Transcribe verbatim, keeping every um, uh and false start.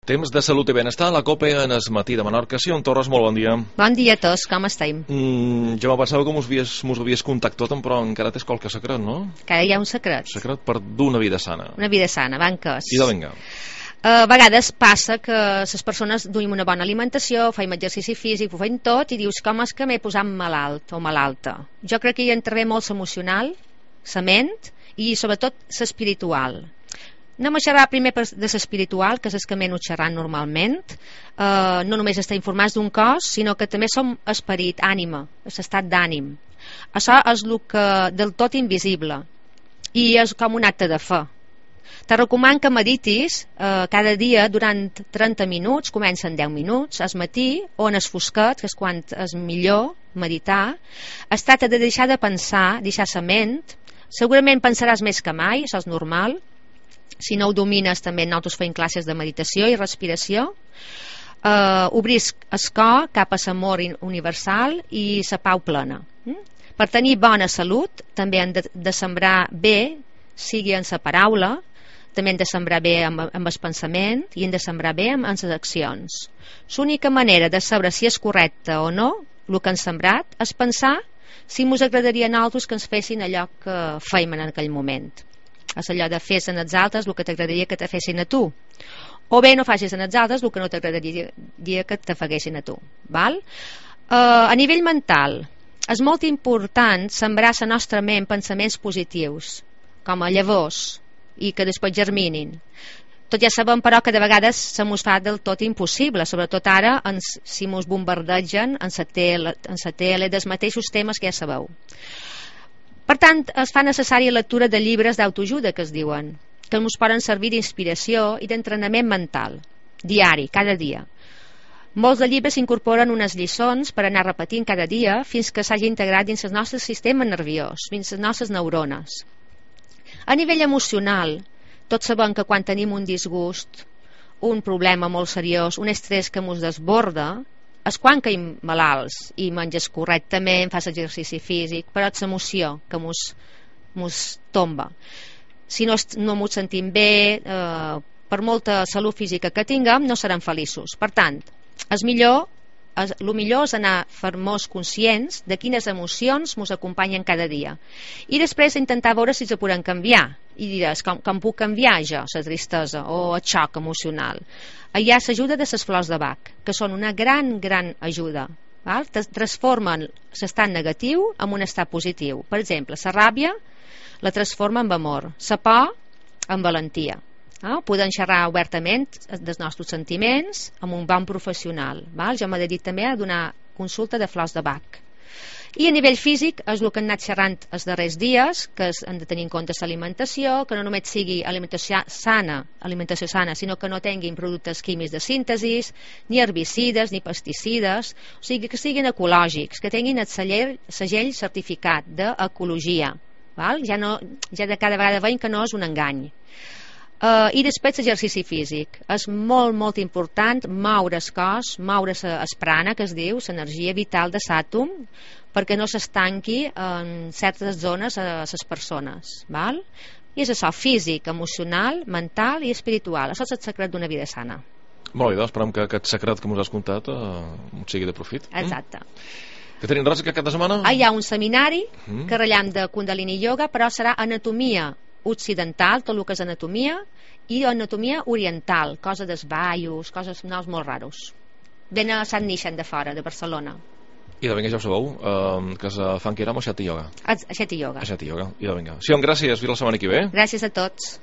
Temps de salut i benestar, la COPE en es matí de Menorca. Sion Torres, molt bon dia. Bon dia a tots, com estem? Mm, jo me pensava que mos havies, mos havies contactat, però encara tens qualque secret, no? Que hi ha un secret. Secret per d'una vida sana. Una vida sana, banques. I de vinga. A vegades passa que les persones duim una bona alimentació, feim exercici físic, ho feim tot, i dius, com és que m'he posat malalt o malalta? Jo crec que hi intervé molt l'emocional, la ment i sobretot l'espiritual. Anem a xerrar primer de l'espiritual, que és el que m'he anat xerrant normalment. Uh, no només estar informats d'un cos, sinó que també som esperit, ànima, l'estat d'ànim. Això és el que del tot invisible i és com un acte de fe. Te recomano que meditis eh, cada dia durant trenta minuts, comencen deu minuts, al matí o en es fosquet, que és quan és millor meditar. Es tracta de deixar de pensar, deixar la ment. Segurament pensaràs més que mai, això és normal. Si no ho domines, també nosaltres fem classes de meditació i respiració. Eh, obrir el cor cap a l'amor universal i la pau plena. Mm? Per tenir bona salut, també hem de, de sembrar bé, sigui en la paraula, també hem de sembrar bé amb, amb el pensament i hem de sembrar bé amb, amb les accions. L'única manera de saber si és correcte o no, el que hem sembrat, és pensar si ens agradaria a nosaltres que ens fessin allò que fèiem en aquell moment. És allò de fer en els altres el que t'agradaria que te fessin a tu, o bé no facis en els altres el que no t'agradaria que te faguessin a tu, val? Uh, a nivell mental és molt important sembrar a la nostra ment pensaments positius, com a llavors, i que després germinin. Tot ja sabem, però, que de vegades se mos fa del tot impossible, sobretot ara ens, si mos bombardegen en la tele, en la tele dels mateixos temes que ja sabeu. Per tant, es fa necessària lectura de llibres d'autoajuda, que es diuen, que ens poden servir d'inspiració i d'entrenament mental, diari, cada dia. Molts de llibres incorporen unes lliçons per anar repetint cada dia fins que s'hagi integrat dins el nostre sistema nerviós, dins les nostres neurones. A nivell emocional, tots sabem que quan tenim un disgust, un problema molt seriós, un estrès que ens desborda, és quan caiem malalts i menges correctament, fas exercici físic, però és l'emoció que ens tomba. Si no, no ens sentim bé, eh, per molta salut física que tinguem, no serem feliços. Per tant, és millor, és, el millor és anar fermós conscients de quines emocions ens acompanyen cada dia. I després intentar veure si se poden canviar. I diràs, com, com puc canviar jo, la tristesa o el xoc emocional? Hi ha l'ajuda de les flors de Bach, que són una gran, gran ajuda. Val? Transformen l'estat negatiu en un estat positiu. Per exemple, la ràbia la transforma en amor, la por en valentia. Ah, podem xerrar obertament dels nostres sentiments amb un bon professional. Val? Jo m'he dedicat també a donar consulta de flors de Bach. I a nivell físic és el que hem anat xerrant els darrers dies, que hem de tenir en compte l'alimentació, que no només sigui alimentació sana, alimentació sana, sinó que no tinguin productes químics de síntesi, ni herbicides, ni pesticides, o sigui que siguin ecològics, que tinguin el segell, segell certificat d'ecologia. Val? Ja, no, ja de cada vegada veiem que no és un engany. Uh, I després l'exercici físic. És molt, molt important moure el cos, moure el prana, que es diu, l'energia vital de l'àtom, perquè no s'estanqui en certes zones a les persones. Val? I és això, físic, emocional, mental i espiritual. Això és el secret d'una vida sana. Molt bé, doncs esperem que aquest secret que ens has contat eh, sigui de profit. Exacte. Mm? Que tenim res aquest cap de setmana? Ah, hi ha un seminari mm. que rellam de Kundalini Yoga, però serà anatomia occidental, tot el que és anatomia, i anatomia oriental, coses dels ballos, coses noms molt raros. Ven a Sant Nixen de fora, de Barcelona. I de vinga, ja ho sabeu, eh, que es fan que érem a Xati Yoga. A Xati Yoga. A Xati Yoga, i de vinga. Sion, gràcies, fins la setmana que ve. Gràcies a tots.